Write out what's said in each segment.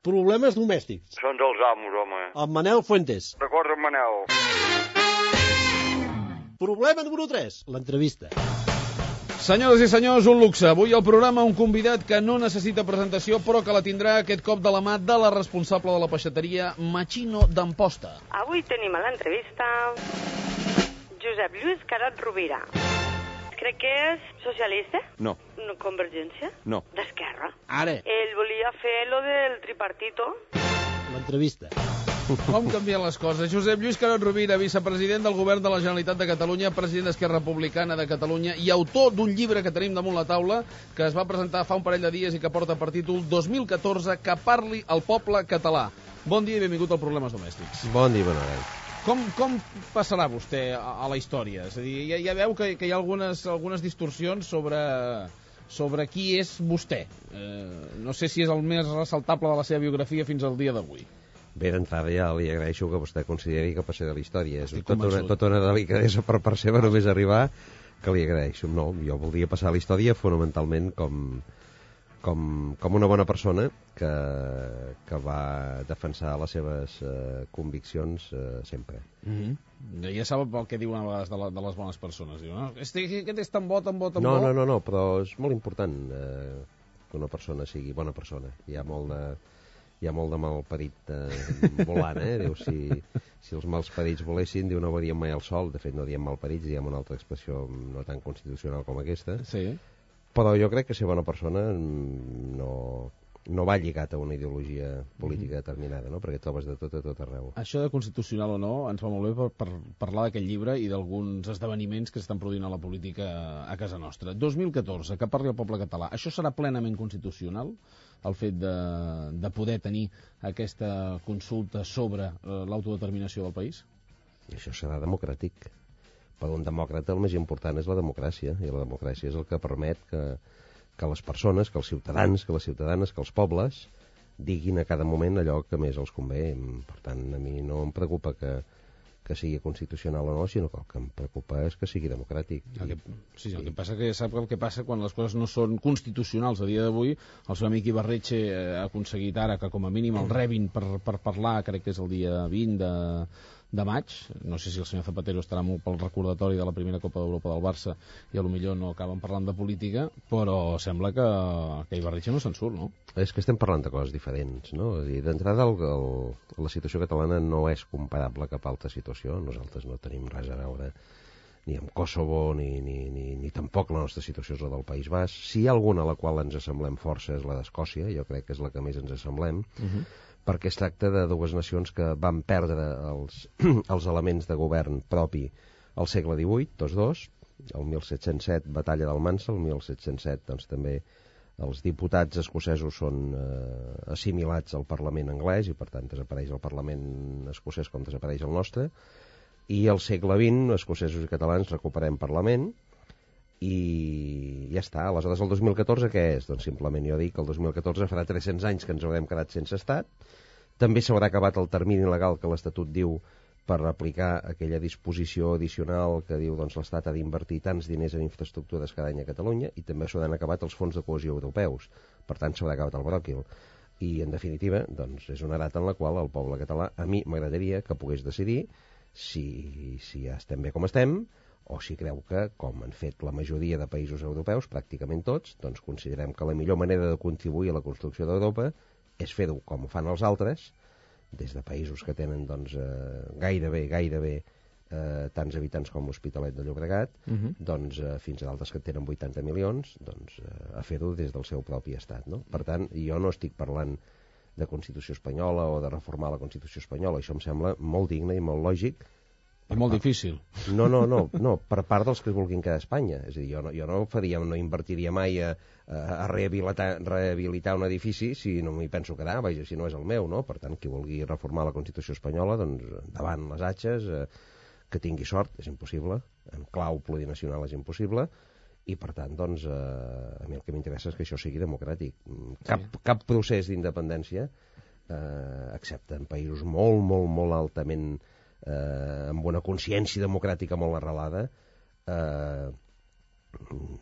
Problemes domèstics. Són dels amos, home. Amb Manel Fuentes. D'acord amb Manel. Problema número 3, l'entrevista. Senyores i senyors, un luxe. Avui al programa un convidat que no necessita presentació, però que la tindrà aquest cop de la mà de la responsable de la peixateria Machino d'Amposta. Avui tenim a l'entrevista Josep Lluís Carot Rovira. Crec que és socialista? No. Convergència? No. D'Esquerra. Ara. Ell volia fer lo del tripartito. L'entrevista. Com canvien les coses? Josep Lluís Carot Rovira, vicepresident del Govern de la Generalitat de Catalunya, president d'Esquerra Republicana de Catalunya i autor d'un llibre que tenim damunt la taula que es va presentar fa un parell de dies i que porta per títol 2014, que parli al poble català. Bon dia i benvingut al Problemes Domèstics. Bon dia, bon hora. Com passarà vostè a la història? És a dir, ja veu que hi ha algunes distorsions sobre qui és vostè. No sé si és el més ressaltable de la seva biografia fins al dia d'avui. Bé, d'entrada ja li agraeixo que vostè consideri que passaré a la història. És tota una delicadesa per part seva només arribar, que li agraeixo. No, jo voldria passar a la història fonamentalment com una bona persona que va defensar les seves conviccions sempre. Ja sap el que diuen a vegades de les bones persones. Diu, no? Aquest és tan bo, tan bo, tan bo. No, però és molt important que una persona sigui bona persona. Hi ha molt de malparit volant, Diu, si els malparits volessin, diu, no varien mai al sol. De fet, no diem malparits, diem una altra expressió no tan constitucional com aquesta. Sí. Però jo crec que ser bona persona no va lligat a una ideologia política determinada, no? Perquè trobes de tot a tot arreu. Això de constitucional o no ens va molt bé per parlar d'aquest llibre i d'alguns esdeveniments que s'estan produint a la política a casa nostra. 2014, que parli el poble català. Això serà plenament constitucional, el fet de poder tenir aquesta consulta sobre l'autodeterminació del país? I això serà democràtic. Per un demòcrata el més important és la democràcia, i la democràcia és el que permet que les persones, que els ciutadans, que les ciutadanes, que els pobles diguin a cada moment allò que més els convé. Per tant, a mi no em preocupa que sigui constitucional o no, sinó que el que em preocupa és que sigui democràtic. El que passa que sap el que passa quan les coses no són constitucionals. A dia d'avui, el seu amic Ibarretxe ha aconseguit ara que com a mínim el rebin per parlar, crec que és el dia 20 de maig. No sé si el senyor Zapatero estarà molt pel recordatori de la primera Copa d'Europa del Barça i potser no acaben parlant de política, però sembla que Ibarretxe no se'n surt, no? És que estem parlant de coses diferents, no? D'entrada, la situació catalana no és comparable a cap altra situació. Nosaltres no tenim res a veure ni amb Kosovo, ni tampoc la nostra situació és la del País Basc. Si hi ha alguna a la qual ens assemblem força és la d'Escòcia, jo crec que és la que més ens assemblem, perquè es tracta de dues nacions que van perdre els elements de govern propi al segle XVIII, tots dos. El 1707, batalla d'Almansa, el 1707, doncs també els diputats escocesos són assimilats al Parlament anglès i per tant desapareix el Parlament escocès com desapareix el nostre, i al segle XX, escocesos i catalans recuperem Parlament i ja està. Aleshores, el 2014 què és? Doncs simplement jo dic que el 2014 farà 300 anys que ens haurem quedat sense estat. També s'haurà acabat el termini legal que l'Estatut diu per aplicar aquella disposició addicional que diu doncs l'Estat ha d'invertir tants diners en infraestructures cada any a Catalunya, i també s'hauran acabat els fons de cohesió europeus. Per tant, s'haurà acabat el bròquil. I, en definitiva, doncs, és una data en la qual el poble català, a mi m'agradaria que pogués decidir si ja estem bé com estem, o si creu que, com han fet la majoria de països europeus, pràcticament tots, doncs considerem que la millor manera de contribuir a la construcció d'Europa és fer-ho com ho fan els altres, des de països que tenen doncs, gairebé tants habitants com l'Hospitalet de Llobregat, doncs, fins a d'altres que tenen 80 milions, doncs, a fer-ho des del seu propi estat, no? Per tant, jo no estic parlant de Constitució espanyola o de reformar la Constitució espanyola. Això em sembla molt digne i molt lògic. I molt difícil. No, per part dels que vulguin quedar a Espanya. És a dir, jo no invertiria mai a rehabilitar un edifici si no m'hi penso quedar, vaja, si no és el meu, no? Per tant, qui vulgui reformar la Constitució espanyola, doncs endavant les atxes, que tingui sort, és impossible, en clau plurinacional és impossible, i per tant, doncs, a mi el que m'interessa és que això sigui democràtic. Cap procés d'independència, excepte en països molt altament amb una consciència democràtica molt arrelada,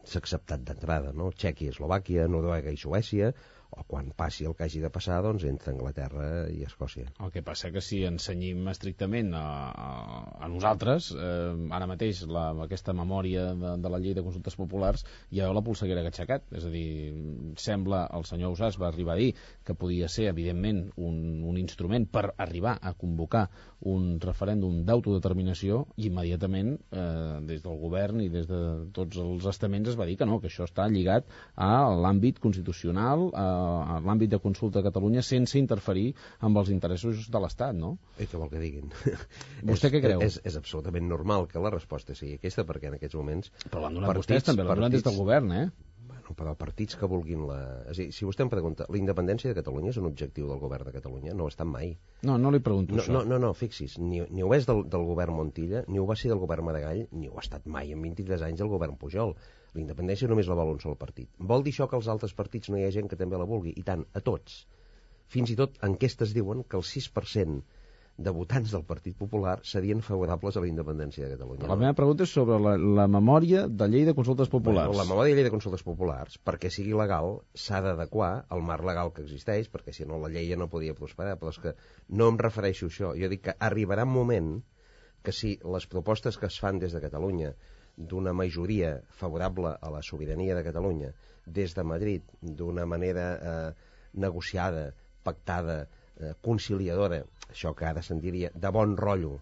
s'ha acceptat d'entrada, no? Txèquia, Eslovàquia, Noruega i Suècia, o quan passi el que hagi de passar, doncs entra Anglaterra i Escòcia. El que passa que si ens cenyim estrictament a nosaltres, ara mateix aquesta memòria de la llei de consultes populars ja la polseguera que ha aixecat. És a dir, sembla, el senyor Ausàs va arribar a dir que podia ser, evidentment, un instrument per arribar a convocar un referèndum d'autodeterminació, i immediatament des del govern i des de tots els estaments es va dir que no, que això està lligat a l'àmbit constitucional, a l'àmbit de consulta a Catalunya, sense interferir amb els interessos de l'Estat, no? I què vol que diguin? Vostè què creu? És absolutament normal que la resposta sigui aquesta, perquè en aquests moments... Però l'han donat vostès també, l'han donat des del govern, Bueno, però partits que vulguin És a dir, si vostè em pregunta, la independència de Catalunya és un objectiu del govern de Catalunya? No ho ha estat mai. No li pregunto això. No, fixi's, ni ho és del govern Montilla, ni ho va ser del govern Maragall, ni ho ha estat mai en 23 anys del govern Pujol. La independència només la vol un sol partit. Vol dir això que als altres partits no hi ha gent que també la vulgui? I tant, a tots. Fins i tot enquestes diuen que el 6% de votants del Partit Popular serien favorables a la independència de Catalunya. La meva pregunta és sobre la memòria de llei de consultes populars. Bueno, la memòria de llei de consultes populars, perquè sigui legal, s'ha d'adequar al marc legal que existeix, perquè si no la llei ja no podia prosperar, però és que no em refereixo a això. Jo dic que arribarà un moment que si les propostes que es fan des de Catalunya d'una majoria favorable a la sobirania de Catalunya, des de Madrid, d'una manera negociada, pactada, conciliadora, això que ara se'n diria de bon rotllo,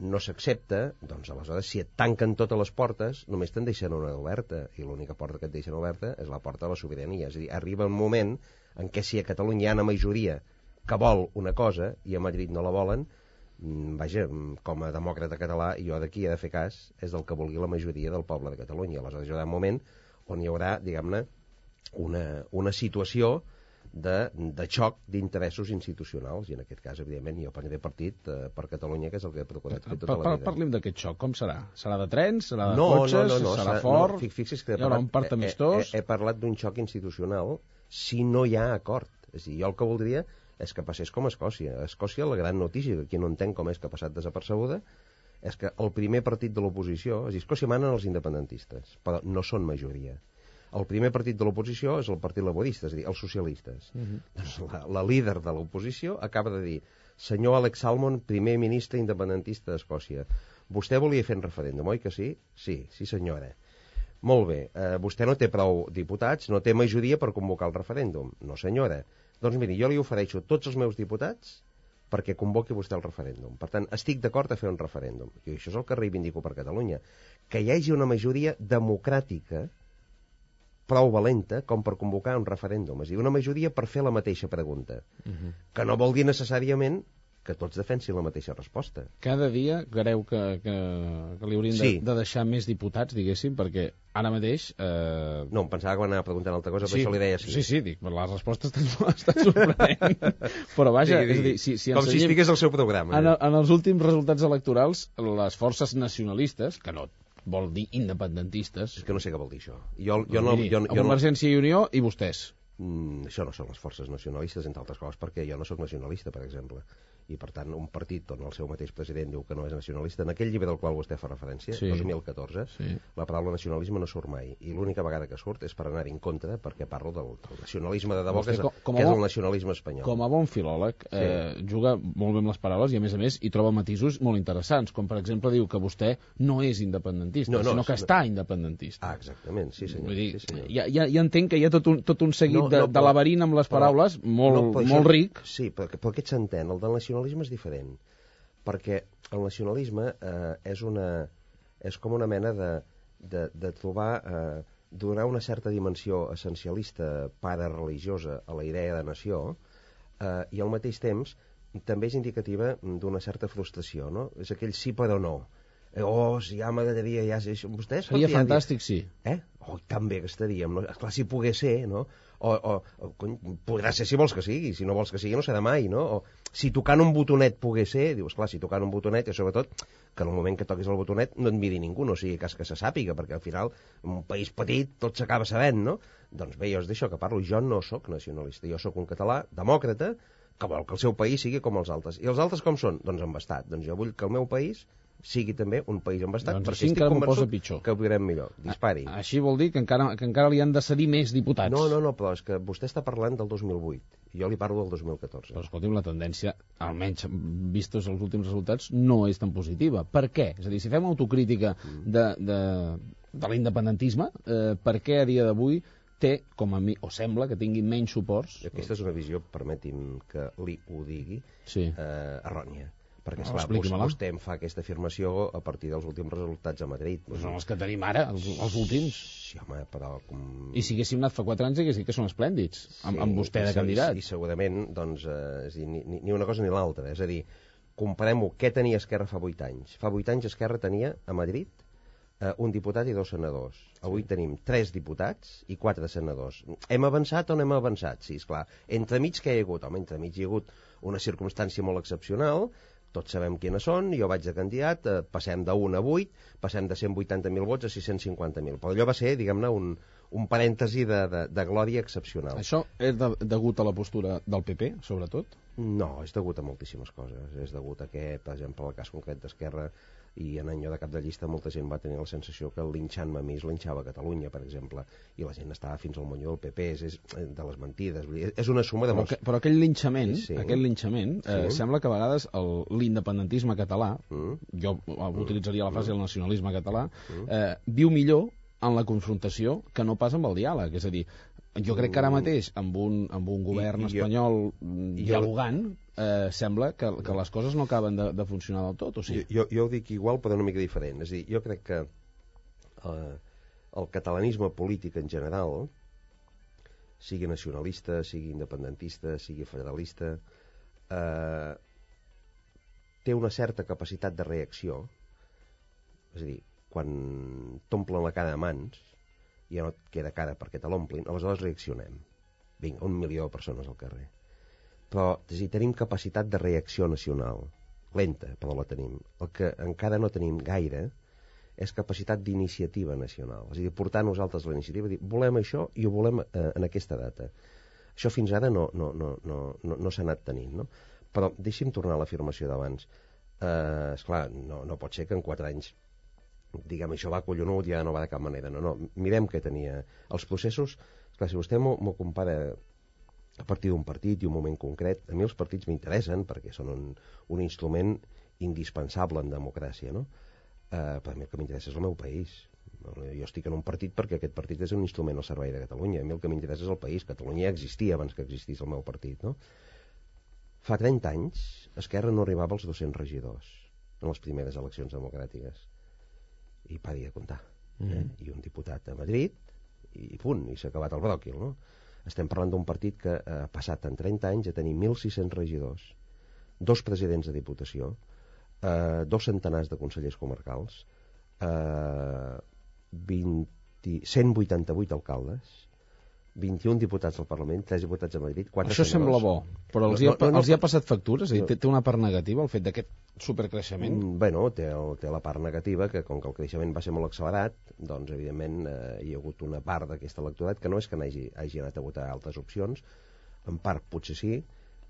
no s'accepta, doncs aleshores si et tanquen totes les portes només te'n deixen una oberta, i l'única porta que et deixen oberta és la porta de la sobirania. És a dir, arriba un moment en què si a Catalunya hi ha una majoria que vol una cosa i a Madrid no la volen, vaja, com a demòcrata català, jo d'aquí he de fer cas, és del que vulgui la majoria del poble de Catalunya. Aleshores hi haurà un moment on hi haurà, diguem-ne, una situació de xoc d'interessos institucionals, i en aquest cas, evidentment, jo prendré partit per Catalunya, que és el que he procurat fer tota la vida. Parlim d'aquest xoc, com serà? Serà de trens? Serà de cotxes? Serà fort? Fixi's que hi haurà un part amistós? He parlat d'un xoc institucional si no hi ha acord. És a dir, jo el que voldria és que passés com a Escòcia. A Escòcia la gran notícia, que qui no entén com és que ha passat desapercebuda, és que el primer partit de l'oposició, és a dir, Escòcia manen els independentistes, però no són majoria. El primer partit de l'oposició és el Partit Laborista, és a dir, els socialistes. Doncs la líder de l'oposició acaba de dir: senyor Alex Salmond, primer ministre independentista d'Escòcia, vostè volia fer un referèndum, oi que sí? Sí senyora. Molt bé, vostè no té prou diputats, no té majoria per convocar el referèndum. No senyora. Doncs miri, jo li ofereixo tots els meus diputats perquè convoqui vostè el referèndum. Per tant, estic d'acord a fer un referèndum. I això és el que reivindico per Catalunya. Que hi hagi una majoria democràtica prou valenta com per convocar un referèndum. És a dir, una majoria per fer la mateixa pregunta. Que no vol dir necessàriament que tots defensin la mateixa resposta. Cada dia creu que li haurien de deixar més diputats, diguéssim, perquè ara mateix... No, em pensava que m'anava preguntant altra cosa, però això li deia sí. Sí, dic, la resposta està sorprenent. Però vaja, és a dir, si com si estigués al seu programa. En els últims resultats electorals, les forces nacionalistes, que no vol dir independentistes... És que no sé què vol dir això. Convergència i Unió i vostès. Això no són les forces nacionalistes, entre altres coses, perquè jo no sóc nacionalista, per exemple. I, per tant, un partit on el seu mateix president diu que no és nacionalista, en aquell llibre del qual vostè fa referència, 2014, la paraula nacionalisme no surt mai. I l'única vegada que surt és per anar-hi en contra, perquè parlo del nacionalisme de debò, que és el nacionalisme espanyol. Com a bon filòleg, juga molt bé amb les paraules i, a més, hi troba matisos molt interessants, com, per exemple, diu que vostè no és independentista, sinó que està independentista. Ah, exactament, sí senyor. Vull dir, ja entenc que hi ha tot un seguit de laberint amb les paraules molt ric. Sí, però aquest s'entén, el del nacionalisme és diferent, perquè el nacionalisme és com una mena de trobar, donar una certa dimensió essencialista parareligiosa a la idea de nació, i al mateix temps també és indicativa d'una certa frustració, no? És aquell sí però no. Si ja m'agradaria, vostès... Seria fantàstic, sí. Tan bé que estaríem, no? Esclar, si pogués ser, no? Podrà ser si vols que sigui, si no vols que sigui no serà mai, no? O si tocant un botonet pogués ser, dius, clar, si tocant un botonet, i sobretot que en el moment que toquis el botonet no et miri ningú, no sigui cas que se sàpiga, perquè al final, en un país petit, tot s'acaba sabent, no? Doncs bé, jo és d'això que parlo, jo no sóc nacionalista, jo sóc un català demòcrata que vol que el seu país sigui com els altres. I els altres com són? Doncs embastat. Doncs jo vull que el meu país sigui també un país amb estat, Doncs perquè així estic encara m'ho posa convençut pitjor. que ho viurem millor. Dispari. Així vol dir que encara li han de cedir més diputats. No, però és que vostè està parlant del 2008 i jo li parlo del 2014. Però escolti'm, la tendència, almenys vistos els últims resultats, no és tan positiva. Per què? És a dir, si fem autocrítica de l'independentisme, per què a dia d'avui té, com a mi, o sembla que tingui menys suports? Aquesta és una visió, permeti'm que li ho digui, Sí. errònia. Perquè, No, esclar, expliqui-me-la. vostè em fa aquesta afirmació a partir dels últims resultats a Madrid. Doncs són els que tenim ara, els últims. Sí, home, però... I si haguéssim anat fa 4 anys, hagués dit que són esplèndids, amb vostè de candidat. I segurament, doncs, és a dir, ni una cosa ni l'altra. És a dir, comparem-ho, què tenia Esquerra fa 8 anys? Fa 8 anys Esquerra tenia a Madrid un diputat i 2 senadors. Avui tenim 3 diputats i 4 senadors. Hem avançat o no hem avançat? Sí, esclar. Entremig què hi ha hagut? Home, entremig hi ha hagut una circumstància molt excepcional, tots sabem quines són, jo vaig de candidat, passem de 1 a 8, passem de 180.000 vots a 650.000. Però allò va ser, diguem-ne, un parèntesi de glòria excepcional. Això és degut a la postura del PP, sobretot? No, és degut a moltíssimes coses. És degut a que, per exemple, el cas concret d'Esquerra i en any de cap de llista molta gent va tenir la sensació que linxant-me a mi es linxava a Catalunya, per exemple, i la gent estava fins al moñó del PP, és de les mentides. És una suma de molts... Però aquell linxament, Sí. sí. Sembla que a vegades l'independentisme català, jo utilitzaria la frase del nacionalisme català, viu millor en la confrontació que no pas amb el diàleg. És a dir, jo crec que ara mateix amb un govern espanyol dialogant sembla que les coses no acaben de funcionar del tot, o sigui? Jo ho dic igual però una mica diferent. És a dir, jo crec que el catalanisme polític en general, sigui nacionalista, sigui independentista, sigui federalista, té una certa capacitat de reacció. És a dir, quan t'omplen la cara de mans, ja no et queda cara perquè te l'omplin, aleshores reaccionem. Vinga, 1 milió de persones al carrer. Però és a dir, tenim capacitat de reacció nacional. Lenta, però la tenim. El que encara no tenim gaire és capacitat d'iniciativa nacional. És a dir, portar nosaltres la iniciativa, dir, volem això i ho volem en aquesta data. Això fins ara no s'ha anat tenint, no? Però deixi'm tornar a l'afirmació d'abans. Esclar, no pot ser que en 4 anys diguem, això va collonut, ja no va de cap manera. No, mirem què tenia. Els processos, esclar, si vostè m'ho compara a partir d'un partit i un moment concret, a mi els partits m'interessen perquè són un instrument indispensable en democràcia, no? Però a mi el que m'interessa és el meu país. Jo estic en un partit perquè aquest partit és un instrument al servei de Catalunya. A mi el que m'interessa és el país. Catalunya ja existia abans que existís el meu partit, no? Fa 30 anys Esquerra no arribava als 200 regidors en les primeres eleccions democràtiques. I pari de comptar. I un diputat a Madrid i punt, i s'ha acabat el bròquil, no? Estem parlant d'un partit que ha passat en 30 anys a tenir 1.600 regidors, 2 presidents de diputació, 2 centenars de consellers comarcals, 188 alcaldes, 21 diputats al Parlament, 3 diputats a Madrid, 4 Això senadors. sembla bo, però els hi ha passat factures? És a dir, té una part negativa el fet d'aquest supercreixement? Bueno, té la part negativa, que com que el creixement va ser molt accelerat, doncs evidentment hi ha hagut una part d'aquest electorat que no és que hagi anat a votar altres opcions, en part potser sí,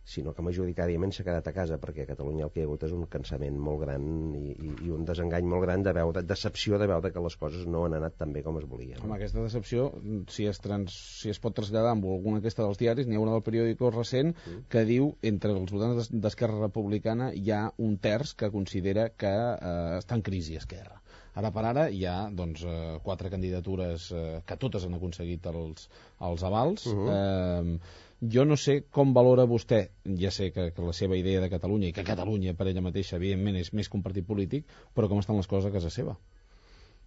sinó que majoritàriament s'ha quedat a casa, perquè a Catalunya el que hi ha hagut és un cansament molt gran i un desengany molt gran de veure, decepció de veure que les coses no han anat tan bé com es volien. Home, aquesta decepció, si es pot traslladar amb alguna aquesta dels diaris, n'hi ha una del periòdico recent que diu, entre els votants d'Esquerra Republicana hi ha un terç que considera que està en crisi Esquerra. Ara per ara hi ha 4 candidatures que totes han aconseguit els avals. Jo no sé com valora vostè, ja sé que la seva idea de Catalunya, i que Catalunya per ella mateixa evidentment és més que un partit polític, però com estan les coses a casa seva?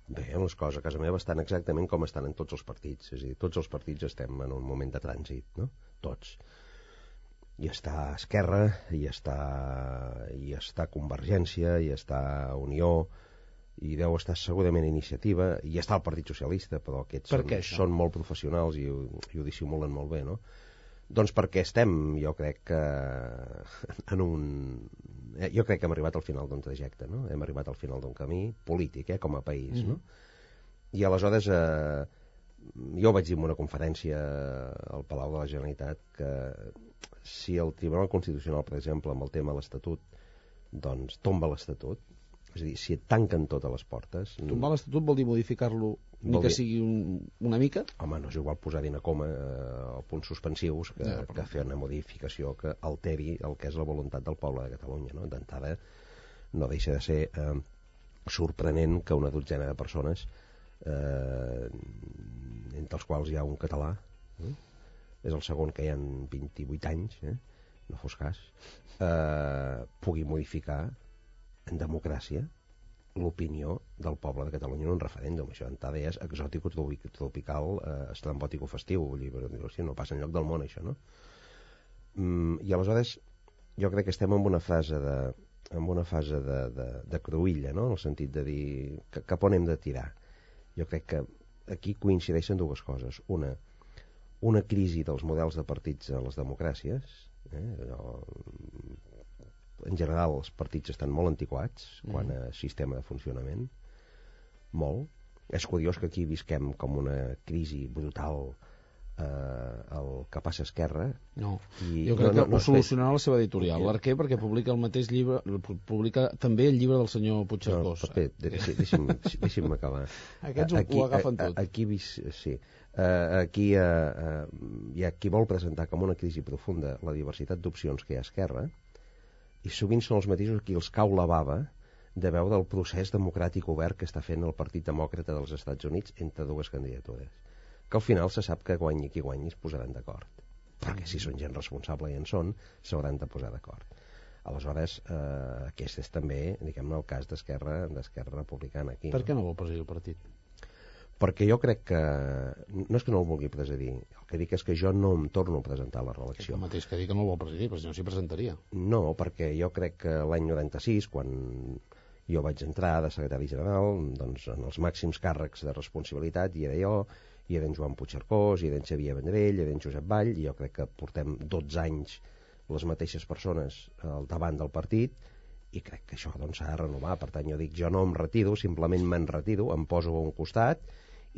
Bé, les coses a casa meva estan exactament com estan en tots els partits. És a dir, tots els partits estem en un moment de trànsit, no? Tots. Hi està Esquerra, hi està Convergència, hi està Unió, i deu estar segurament Iniciativa, i hi està el Partit Socialista, però aquests són molt professionals i ho dissimulen molt bé, no? Doncs perquè estem, jo crec que jo crec que hem arribat al final d'un trajecte, no? Hem arribat al final d'un camí polític, com a país, no? I aleshores jo vaig dir en una conferència al Palau de la Generalitat que si el Tribunal Constitucional, per exemple, amb el tema de l'Estatut, doncs tomba l'Estatut, És a dir, si et tanquen totes les portes... Tombar l'Estatut vol dir modificar-lo ni que sigui una mica? Home, no és igual posar-hi una coma o punts suspensius que fer una modificació que alteri el que és la voluntat del poble de Catalunya, no? D'entrada, no deixa de ser sorprenent que una dotzena de persones, entre els quals hi ha un català, és el segon que hi ha 28 anys, no fos cas, pugui modificar en democràcia l'opinió del poble de Catalunya en un referèndum. Això d'entrada és exòtic, tropical, estrambòtic o festiu. Vull dir, no passa enlloc del món, això, no? I aleshores jo crec que estem en una fase de cruïlla, no? En el sentit de dir cap on hem de tirar. Jo crec que aquí coincideixen dues coses. Una crisi dels models de partits a les democràcies. En general els partits estan molt antiquats quant a sistema de funcionament, molt. És curiós que aquí visquem com una crisi brutal el que passa a Esquerra. No, jo crec que ho solucionarà la seva editorial, l'Arquer, perquè publica el mateix llibre, publica també el llibre del senyor Puigcercós. Deixi'm acabar. Aquests ho agafen tot. Aquí hi ha qui vol presentar com una crisi profunda la diversitat d'opcions que hi ha a Esquerra, i sovint són els mateixos qui els cau la bava de veure el procés democràtic obert que està fent el Partit Demòcrata dels Estats Units entre dues candidatures, que al final se sap que guanyi qui guanyi es posaran d'acord, perquè si són gent responsable i en són, s'hauran de posar d'acord. Aleshores, aquest és també, diguem-ne, el cas d'Esquerra Republicana aquí. Per què no vol presidir el partit? Perquè jo crec que... No és que no el vulgui presidir, el que dic és que jo no em torno a presentar a la reelecció. El mateix que dic que no el vol presidir, però si no s'hi presentaria. No, perquè jo crec que l'any 96, quan jo vaig entrar de secretari general, doncs en els màxims càrrecs de responsabilitat hi era jo, hi era en Joan Puigcercós, hi era en Xavier Vendrell, hi era en Josep Vall, i jo crec que portem 12 anys les mateixes persones al davant del partit, i crec que això doncs s'ha de renovar. Per tant, jo dic, jo no em retiro, simplement me'n retiro, em poso a un costat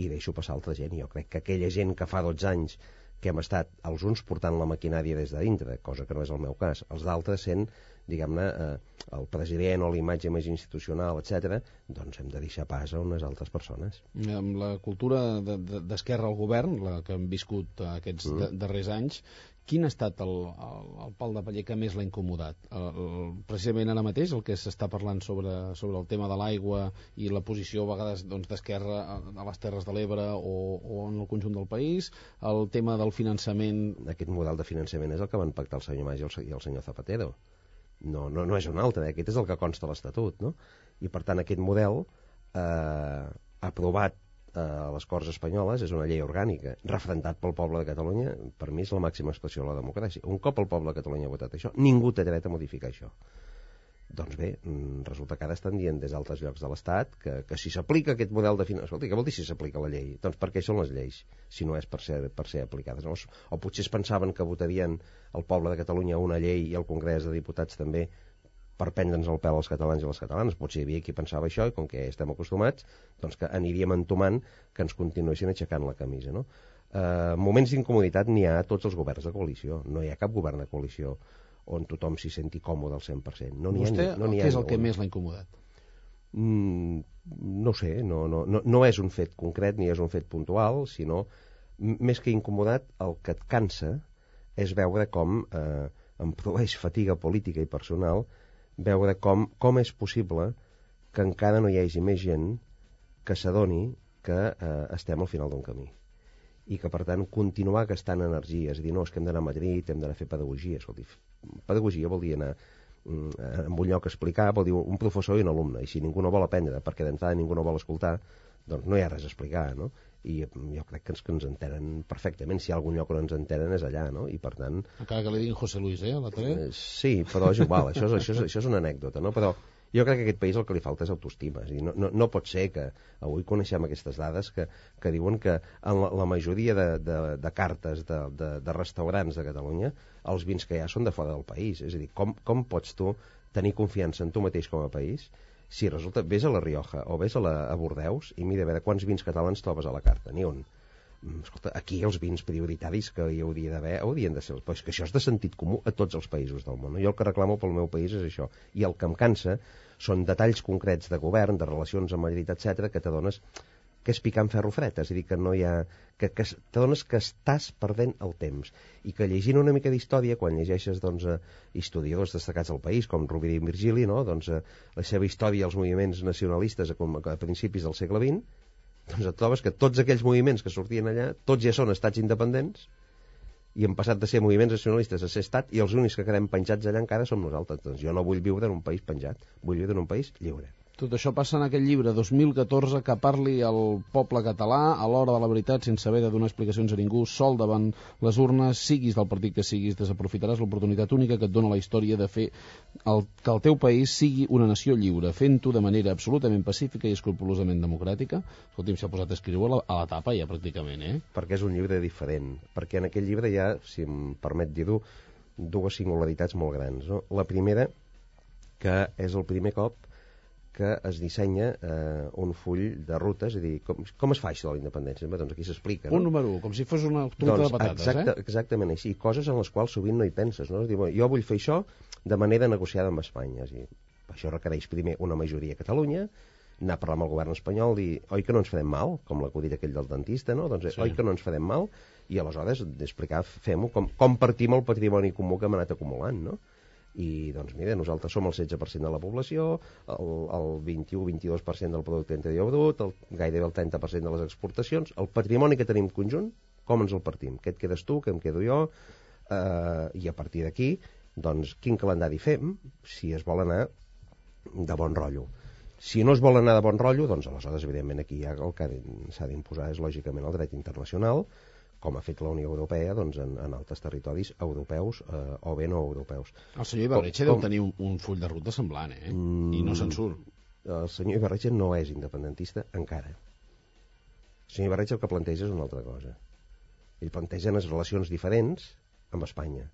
i deixo passar altra gent. Jo crec que aquella gent que fa 12 anys que hem estat els uns portant la maquinària des de dintre, cosa que no és el meu cas, els d'altres sent, diguem-ne, el president o la imatge més institucional, etc., doncs hem de deixar pas a unes altres persones. Amb la cultura d'esquerra al govern, la que hem viscut aquests darrers anys, quin ha estat el pal de paller que més l'ha incomodat? Precisament ara mateix el que s'està parlant sobre el tema de l'aigua i la posició a vegades d'esquerra a les Terres de l'Ebre o en el conjunt del país, el tema del finançament... Aquest model de finançament és el que van pactar el senyor Mas i el senyor Zapatero. No és un altre, aquest és el que consta a l'Estatut, no? I per tant aquest model aprovat a les Corts Espanyoles és una llei orgànica, referendat pel poble de Catalunya, per mi és la màxima expressió de la democràcia. Un cop el poble de Catalunya ha votat això, ningú té dret a modificar això. Doncs bé, resulta que ara estan dient des d'altres llocs de l'Estat que si s'aplica aquest model de finançament... Escolta, què vol dir si s'aplica la llei? Doncs per què són les lleis, si no és per ser aplicades? O potser es pensaven que votarien el poble de Catalunya una llei i el Congrés de Diputats també per prendre'ns el pèl als catalans i les catalanes. Potser hi havia qui pensava això i com que estem acostumats, doncs que aniríem entomant que ens continuessin aixecant la camisa, no? Moments d'incomoditat n'hi ha a tots els governs de coalició. No hi ha cap govern de coalició on tothom s'hi senti còmode al 100%. Vostè, què és el que més l'ha incomodat? No sé, no és un fet concret ni és un fet puntual, sinó, més que incomodat, el que et cansa és veure com em produeix fatiga política i personal veure com és possible que encara no hi hagi més gent que s'adoni que estem al final d'un camí i que per tant continuar gastant energies i dir no, és que hem d'anar a Madrid, hem d'anar a fer pedagogia. Escolti, pedagogia vol dir anar en un lloc a explicar, vol dir un professor i un alumne, i si ningú no vol aprendre perquè d'entrada ningú no vol escoltar, doncs no hi ha res a explicar, no? I jo crec que ens entenen perfectament. Si hi ha algun lloc on ens entenen és allà, no? I per tant... Encara que li diguin José Luis, a la tele? Sí, però és igual, això és una anècdota, no? Però jo crec que a aquest país el que li falta és autoestima. És a dir, no pot ser que avui coneixem aquestes dades que diuen que en la majoria de cartes de restaurants de Catalunya els vins que hi ha són de fora del país. És a dir, com pots tu tenir confiança en tu mateix com a país si resulta, vés a la Rioja o vés a Bordeus i mira a veure quants vins catalans trobes a la carta, ni un. escolta, aquí els vins prioritaris que hi hauria d'haver haurien de ser, però és que això és de sentit comú a tots els països del món. Jo el que reclamo pel meu país és això, i el que em cansa són detalls concrets de govern, de relacions amb Madrid, etc, que t'adones que és picant ferro fred, és a dir, que no hi ha... que t'adones que estàs perdent el temps, i que llegint una mica d'història, quan llegeixes doncs, historiadors destacats del país, com Rovira i Virgili, no? Doncs, la seva història als moviments nacionalistes a principis del segle XX, doncs et trobes que tots aquells moviments que sortien allà, tots ja són estats independents, i hem passat de ser moviments nacionalistes a ser estat, i els únics que quedem penjats allà encara som nosaltres. Doncs jo no vull viure en un país penjat, vull viure en un país lliure. Tot això passa en aquell llibre 2014 que parli al poble català a l'hora de la veritat, sense haver de donar explicacions a ningú, sol davant les urnes, siguis del partit que siguis, desaprofitaràs l'oportunitat única que et dona la història de fer que el teu país sigui una nació lliure, fent-ho de manera absolutament pacífica i escrupolosament democràtica. Escolti'm, s'ha posat a escriure a la tapa ja pràcticament, Perquè és un llibre diferent, perquè en aquell llibre hi ha, si em permet dir-ho, dues singularitats molt grans, no? La primera, que és el primer cop que es dissenya un full de ruta, és a dir, com es fa això de la independència? Doncs aquí s'explica, no? Un número 1, com si fos una truita de patates, Exactament així, coses en les quals sovint no hi penses, no? És dir, jo vull fer això de manera negociada amb Espanya, és a dir, això requereix primer una majoria a Catalunya, anar a parlar amb el govern espanyol, dir, oi que no ens farem mal, com l'acudit aquell del dentista, no? Doncs oi que no ens farem mal, i aleshores explicar, fem-ho, com partim el patrimoni comú que hem anat acumulant, no? I doncs mira, nosaltres som el 16% de la població, el 21-22% del producte interior brut, gairebé el 30% de les exportacions, el patrimoni que tenim conjunt, com ens el partim? Què et quedes tu, què em quedo jo? I a partir d'aquí, doncs quin calendari fem si es vol anar de bon rotllo? Si no es vol anar de bon rotllo, doncs aleshores evidentment aquí ja el que s'ha d'imposar és lògicament el dret internacional, com ha fet la Unió Europea doncs, en altres territoris europeus o bé no europeus. El senyor Ibarretxe deu tenir un full de ruta semblant, i no se'n surt. El senyor Ibarretxe no és independentista encara. El senyor Ibarretxe el que planteja és una altra cosa. Ell planteja unes relacions diferents amb Espanya.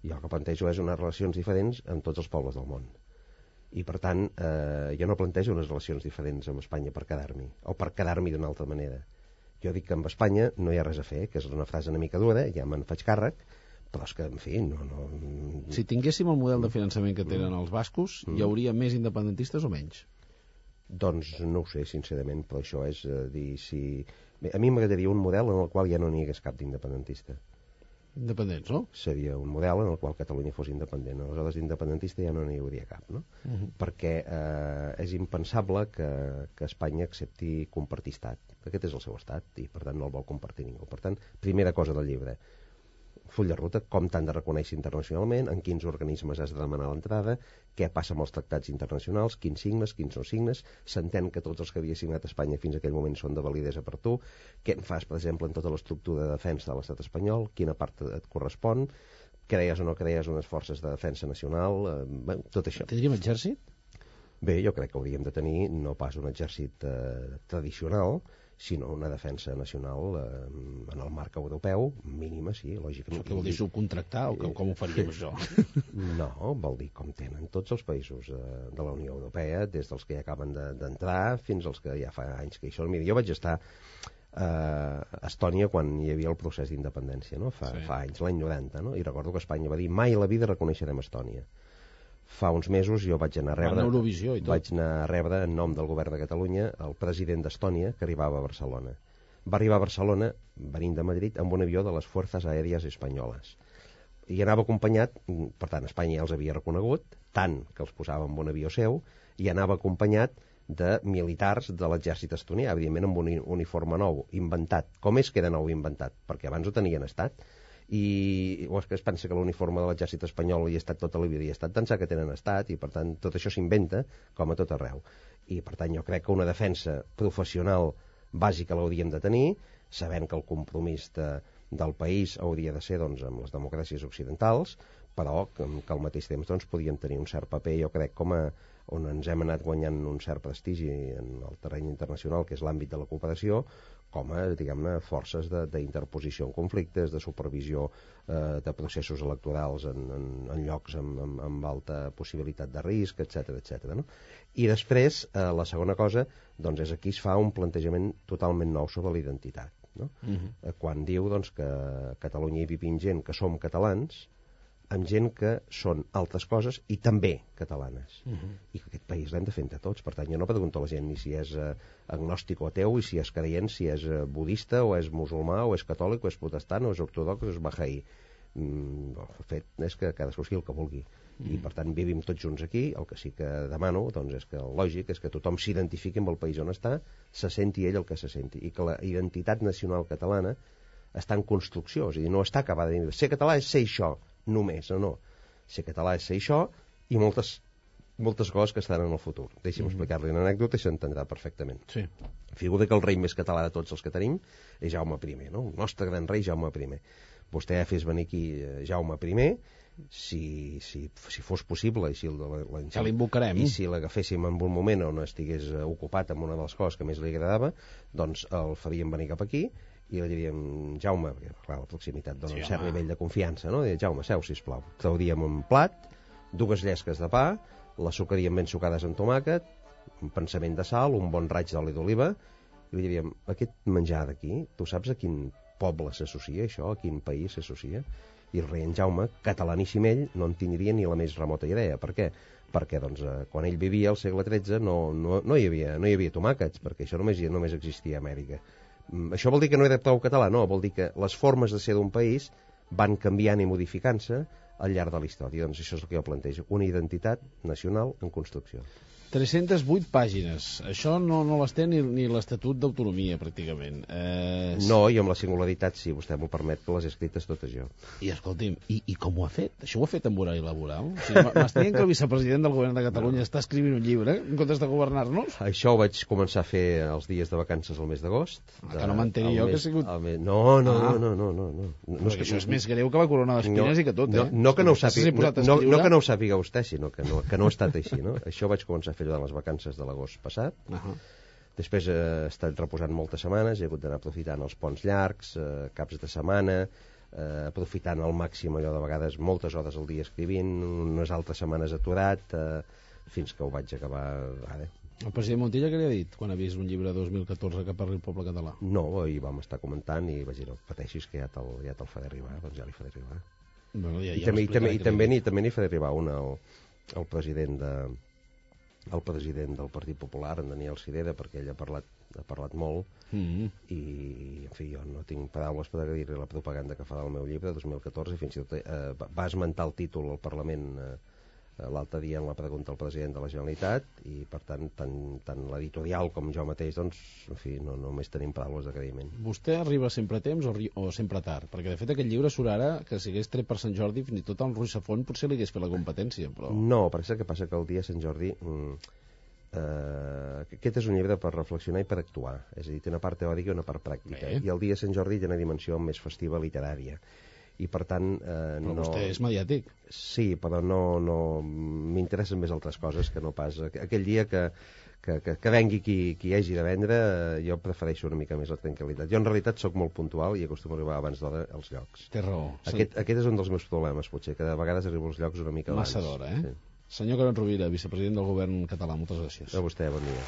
I el que plantejo és unes relacions diferents amb tots els pobles del món. I per tant, jo no plantejo unes relacions diferents amb Espanya per quedar-m'hi, o per quedar-m'hi d'una altra manera. Jo dic que amb Espanya no hi ha res a fer, que és una frase una mica dura, ja me'n faig càrrec, però és que, en fi, no... Si tinguéssim el model de finançament que tenen els bascos, hi hauria més independentistes o menys? Doncs no ho sé, sincerament, però això és dir si... Bé, a mi m'agradaria un model en el qual ja no n'hi hagués cap d'independentista. Independents, no? Seria un model en el qual Catalunya fos independent. Aleshores, d'independentista ja no n'hi hauria cap, no? Perquè és impensable que Espanya accepti compartir estat. Aquest és el seu estat i, per tant, no el vol compartir ningú. Per tant, primera cosa del llibre, full de ruta, com t'han de reconèixer internacionalment, en quins organismes has de demanar l'entrada, què passa amb els tractats internacionals, quins signes, quins no signes, s'entén que tots els que havia signat Espanya fins a aquell moment són de validesa per tu, què en fas, per exemple, en tota l'estructura de defensa de l'estat espanyol, quina part et correspon, creies o no creies unes forces de defensa nacional, tot això. Tindríem exèrcit? Bé, jo crec que hauríem de tenir no pas un exèrcit tradicional, sinó una defensa nacional en el marc europeu, mínima, sí, lògicament. Això què vol dir, subcontractar o com ho faríem, això? No, vol dir com tenen tots els països de la Unió Europea, des dels que ja acaben d'entrar fins als que ja fa anys que hi són. Mira, jo vaig estar a Estònia quan hi havia el procés d'independència, no? Fa anys, l'any 90, no? I recordo que Espanya va dir mai a la vida reconeixerem Estònia. Fa uns mesos jo vaig anar a rebre en nom del govern de Catalunya el president d'Estònia que arribava a Barcelona. Va arribar a Barcelona, venint de Madrid, amb un avió de les Fuerzas Aèries Espanyoles. I anava acompanyat, per tant, Espanya ja els havia reconegut, tant que els posava en un avió seu, i anava acompanyat de militars de l'exèrcit estonià, evidentment amb un uniforme nou, inventat. Com és que era nou inventat? Perquè abans ho tenien estat. O és que es pensa que l'uniforme de l'exèrcit espanyol hi ha estat tota la vida, i ha estat pensar que tenen estat, i per tant tot això s'inventa com a tot arreu. I per tant jo crec que una defensa professional bàsica l'hauríem de tenir, sabent que el compromís del país hauria de ser doncs, amb les democràcies occidentals, però que al mateix temps doncs, podíem tenir un cert paper, jo crec, on ens hem anat guanyant un cert prestigi en el terreny internacional, que és l'àmbit de la cooperació, com a, diguem-ne, forces d'interposició en conflictes, de supervisió de processos electorals en llocs amb alta possibilitat de risc, etc. No? I després, la segona cosa, doncs és aquí es fa un plantejament totalment nou sobre la identitat. no? Quan diu doncs, que a Catalunya hi vivim gent que som catalans, amb gent que són altres coses i també catalanes. I que aquest país l'hem de fer entre tots. Per tant, jo no pregunto a la gent ni si és agnòstic o ateu, i si és creient, si és budista, o és musulmà, o és catòlic, o és protestant, o és ortodox, o és bahaí. El fet és que cadascú sigui el que vulgui. I per tant vivim tots junts aquí. El que sí que demano doncs, és que el lògic és que tothom s'identifiqui amb el país on està, se senti ell el que se senti, i que la identitat nacional catalana està en construcció, és a dir, no està acabada. Ser català és ser això només, no. Ser català és ser això i moltes coses que estan en el futur. Deixi'm explicar-li una anècdota i s'entendrà perfectament. Sí. Figura que el rei més català de tots els que tenim és Jaume I, no? El nostre gran rei Jaume I. Vostè fes venir aquí Jaume I, si fos possible, i si ja l'invocarem. I si l'agaféssim en un moment on estigués ocupat amb una de les coses que més li agradava, doncs el faríem venir cap aquí i li diríem, Jaume, perquè clar, la proximitat dona un cert nivell de confiança, no? Jaume, seu, sisplau. Trauríem un plat, 2 llesques de pa, les sucaríem ben sucades amb tomàquet, un pensament de sal, un bon raig d'oli d'oliva, i li diríem, aquest menjar d'aquí, tu saps a quin poble s'associa això, a quin país s'associa? I el rei en Jaume, catalaníssim ell, no en tindria ni la més remota idea. Per què? Perquè doncs, quan ell vivia al segle XIII no hi havia tomàquets, perquè això només existia a Amèrica. Això vol dir que no era prou català? No, vol dir que les formes de ser d'un país van canviant i modificant-se al llarg de la història. Doncs això és el que jo plantejo, una identitat nacional en construcció. 308 pàgines. Això no les té ni l'Estatut d'Autonomia, pràcticament. No, i amb la singularitat, si vostè m'ho permet, que les he escrites totes jo. I escolti'm, i com ho ha fet? Això ho ha fet amb horari laboral? O sigui, m'està dient que el vicepresident del govern de Catalunya està escrivint un llibre en comptes de governar-nos? Això ho vaig començar a fer els dies de vacances al mes d'agost. Que no m'enteni jo que ha sigut... No. No, és que això és més greu que la corona d'espines i que tot, eh? No que no ho sàpiga vostè, sinó que no ha estat així, no? Això vaig començar a fer durant les vacances de l'agost passat. Després he estat reposant moltes setmanes, he hagut d'anar aprofitant els ponts llargs, caps de setmana, aprofitant al màxim allò de vegades moltes hores al dia escrivint, unes altres setmanes aturat, fins que ho vaig acabar ara. El president Montilla què li ha dit quan ha vist un llibre 2014 que parli el poble català? No, i vam estar comentant i vaig dir, no pateixis que ja te'l faré arribar, doncs ja li faré arribar. Bueno, I també n'hi faré arribar un al president del Partit Popular, en Daniel Sirera, perquè ell ha parlat molt, i en fi, jo no tinc paraules per dir-li la propaganda que fa del meu llibre 2014, i fins i tot va esmentar el títol al Parlament l'altre dia en la pregunta al president de la Generalitat, i per tant tant l'editorial com jo mateix, doncs, en fi, no només tenim paraules d'agraïment. Vostè arriba sempre a temps o sempre tard? Perquè de fet aquest llibre surt ara, que si hagués tret per Sant Jordi, fins i tot el Ruiz Zafón potser li hagués fet la competència, però... No, perquè el que passa que el dia de Sant Jordi aquest és un llibre per reflexionar i per actuar, és a dir, té una part teòrica i una part pràctica, i el dia de Sant Jordi té una dimensió més festiva literària, i per tant però vostè és mediàtic. Sí, però no m'interessen més altres coses que no pas aquell dia que vengui qui hagi de vendre. Jo prefereixo una mica més la tranquil·litat. Jo en realitat sóc molt puntual i acostumo a arribar abans d'hora als llocs. Té raó. Aquest és un dels meus problemes, potser, que de vegades arribo als llocs una mica abans. Massa d'hora, eh? Sí. Senyor Carod Rovira, vicepresident del govern català, moltes gràcies. A vostè, bon dia.